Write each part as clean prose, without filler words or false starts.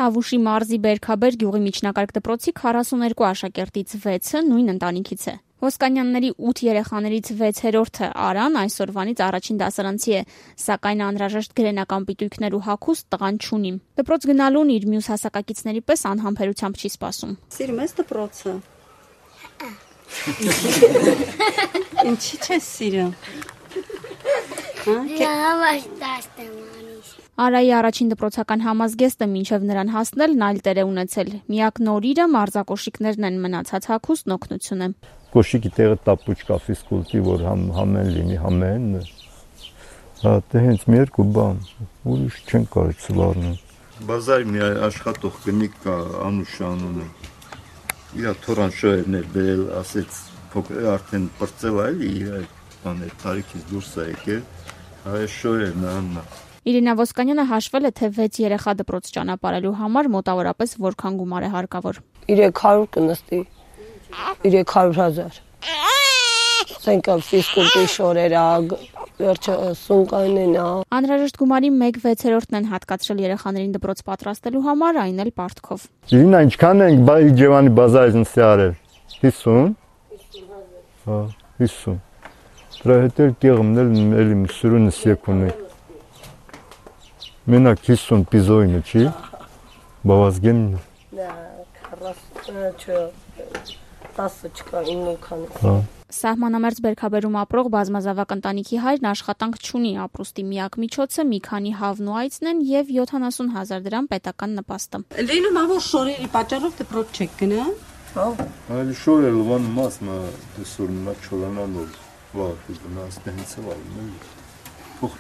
Տավուշի մարզի Բերքաբեր գյուղի միջնակարգ դպրոցի 42 աշակերտից 6-ը նույն ընտանիքից է։ Ոսկանյանների 8 երեխաներից 6-րդը Արան այսօրվանից առաջին դասարանցի է, սակայն անհրաժեշտ գրենական պիտույքներ ու հագուստ տղան չունի։ Դպրոց գնալուն իր մյուս հասակակիցների պես անհամբերությամբ չի սպասում։ Սիրում ես դպրոցը։ Ինչի՞ չես սիրում։ Արայի առաջին դպրոցական համազգեստը մինչև նրան հասնելն այլ տեր է ունեցել։ Միակ նորիրը մարզակոշիկներն են, մնացած հագուստն օգնություն է։ Կոշիկի տեղը տապուչկա ֆիզկուլտի, որ համեն լինի, համեն։ Հա, դե հենց մի երկու բան, ուրիշ չեն կարելի սլառնել։ Բազարի մի աշխատող կնիկ կա, Անուշ անունը։ Իրա թորան շոյերներ բերել, ասեց, փոքր արդեն բրծել այլի, բաներ տարիքից դուրս է եկել, այ շոյերն աննա։ Իրինա Ոսկանյանը հաշվել է, թե 6 երեխա դպրոց ճանապարհելու համար մոտավորապես որքան գումար է հարկավոր։ 300 կնստի, 300,000։ Սենկա ֆիզկուլտի շորերա, վերջը սունկանենա։ Անհրաժեշտ գումարի 1/6-ն են հատկացրել երեխաներին դպրոց պատրաստելու համար, այն էլ պարտքով։ Իրինա, ինչքան ենք Իջևանի բազարից նստի արել։ 50։ Հա, 50։ Դրա հետ էլ կեղմն էլ էլի սուրունս եկունի։ Մենակ 50 պիզոյնը չի, բավազգեմն է։ 10 չկա, 9 քանի։ Սահմանամերձ Բերքաբերում ապրող բազմազավակ ընտանիքի հայրն աշխատանք չունի, ապրուստի միակ միջոցը մի քանի հավն ու այծն են և 70,000 դրամ պետական նպաստը։ Լինում է, որ շորերի պատճառով դպրոց չեք գնա։ Այլ շորը լվան մասը դեսոր նա չորանանով վաղ գնաց դենցը վալում է։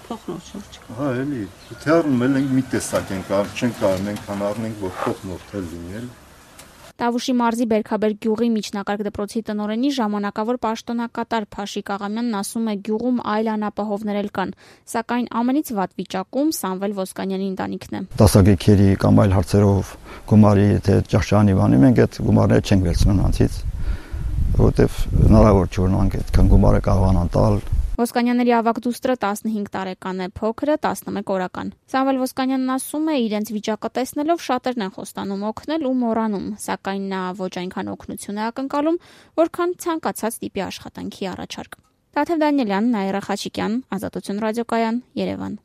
Փոխնոր շոր չկա։ Հա, էլի, թերնում էլ ենք մի տեսակ ենք, չենք կարող մենք հանառնենք, որ փոխնոր թել լինի էլ։ Տավուշի մարզի Բերքաբեր գյուղի միջնակարգ դպրոցի տնօրենի ժամանակավոր պաշտոնակատար Փաշիկ Աղամյանն ասում է, գյուղում այլ անապահովներ էլ կան, սակայն ամենից վատ վիճակում Սամվել Ոսկանյանի ընտանիքն է։ Դասակերերի կամ այլ հարցերով գումարի թե ճաշճանի բանի մենք այդ գումարները չենք վերցնում նրանցից, որովհետև հնարավոր չէ որ նրանք այդքան գումարը կարողանան տալ։ Ոսկանյանների ավագ դուստրը 15 տարեկան է, փոքրը 11 օրական։ Սամվել Ոսկանյանն ասում է, իրենց վիճակը տեսնելով շատերն են խոստանում օգնել ու մոռանում, սակայն նա ոչ այնքան օգնություն է ակնկալում, որքան ցանկացած տիպի աշխատանքի առաջարկ։ Տաթև Դանիելյան, Նաիրա Խաչիկյան, Ազատություն ռադիոկայան, Երևան։